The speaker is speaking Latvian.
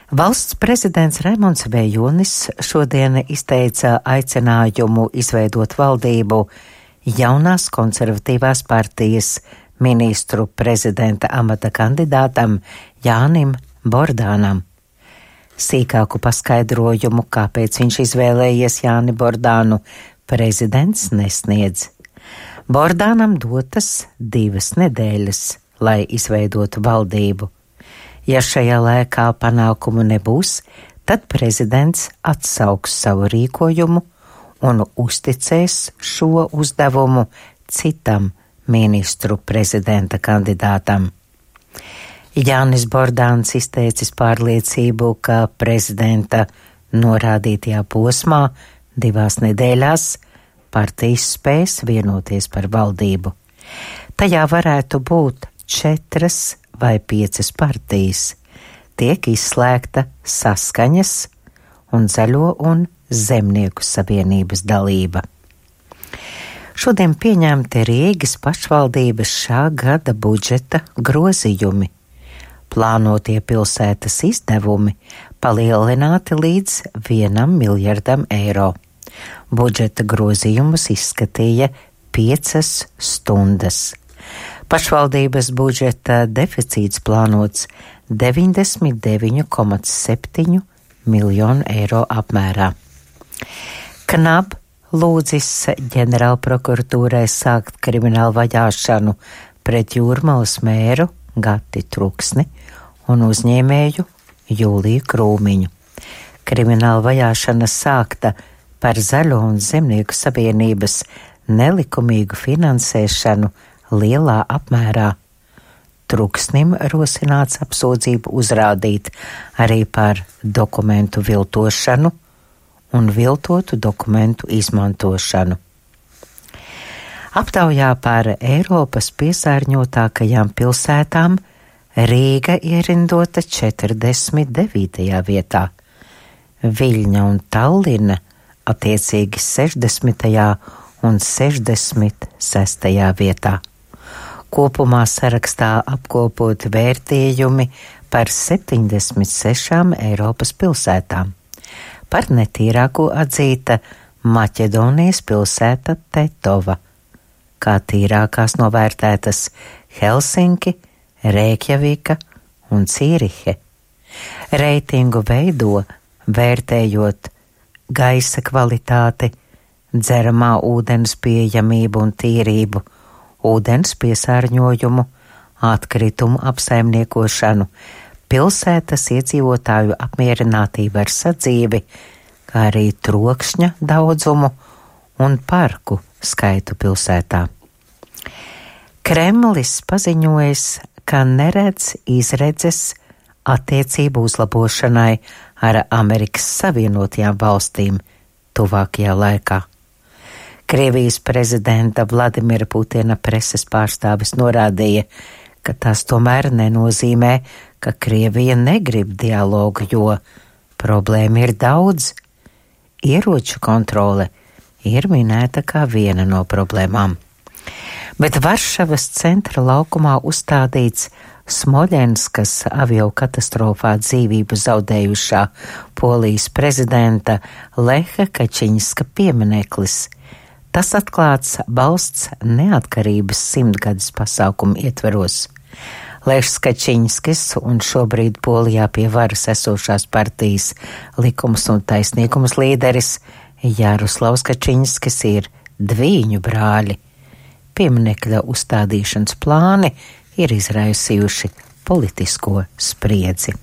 Valsts prezidents Raimonds Vejonis šodien izteica aicinājumu izveidot valdību jaunās konservatīvās partijas ministru prezidenta amata kandidātam Jānim Bordānam. Sīkāku paskaidrojumu, kāpēc viņš izvēlējies Jāni Bordānu, prezidents nesniedz. Bordānam dotas 2 nedēļas, lai izveidotu valdību. Ja šajā laikā panākumu nebūs, tad prezidents atsauks savu rīkojumu un uzticēs šo uzdevumu citam ministru prezidenta kandidātam. Jānis Bordāns izteicis pārliecību, ka prezidenta norādītajā posmā 2 nedēļās partijas spēs vienoties par valdību. Tajā varētu būt 4 vai 5 partijas. Tiek izslēgta Saskaņas un Zaļo un Zemnieku savienības dalība. Šodien pieņemti Rīgas pašvaldības šā gada budžeta grozījumi. Plānotie pilsētas izdevumi palielināti līdz 1 miljardam eiro. Budžeta grozījumus izskatīja 5 stundas. Pašvaldības budžeta deficīts plānots 99,7 miljonu eiro apmērā. KNAB lūdzis ģenerālprokuratūrai sākt kriminālu vajāšanu pret Jūrmalas mēru Gati Truksni un uzņēmēju Jūliju Krūmiņu. Krimināla vajāšana sākta par Zaļo un Zemnieku savienības nelikumīgu finansēšanu lielā apmērā. Truksnim rosināts apsūdzību uzrādīt arī par dokumentu viltošanu un viltotu dokumentu izmantošanu. Aptaujā par Eiropas piesārņotākajām pilsētām Rīga ierindota 49. vietā, Viļņa un Tallina attiecīgi 60. un 66. vietā. Kopumā sarakstā apkopoti vērtējumi par 76 Eiropas pilsētām. Par netīrāko atzīta Maķedonijas pilsēta Tetova, kā tīrākās novērtētas Helsinki, Reikjavika un Cīrihe. Reitingu veido vērtējot gaisa kvalitāti, dzeramā ūdens pieejamību un tīrību, ūdens piesārņojumu, atkritumu apsaimniekošanu, pilsētas iedzīvotāju apmierinātību ar sadzīvi, kā arī trokšņa daudzumu un parku skaitu pilsētā. Kremlis paziņojis, ka neredz izredzes attiecību uzlabošanai ar Amerikas Savienotajām valstīm tuvākajā laikā. Krievijas prezidenta Vladimira Putina preses pārstāvis norādīja, ka tas tomēr nenozīmē, ka Krievija negrib dialogu, jo problēma ir daudz. Ieroču kontrole ir minēta kā viena no problēmām. Bet Varšavas centra laukumā uzstādīts Smoļenskas aviokatastrofā dzīvību zaudējušā Polijas prezidenta Leha Kačiņska piemineklis. Tas atklāts valsts neatkarības 100-gades pasākumu ietveros. Lešs Kačiņskis un šobrīd Polijā pie varas esošās partijas Likums un taisnīgums līderis Jaroslavs Kačiņskis ir dvīņu brāļi. Pieminekļa uzstādīšanas plāni ir izraisījuši politisko spriedzi.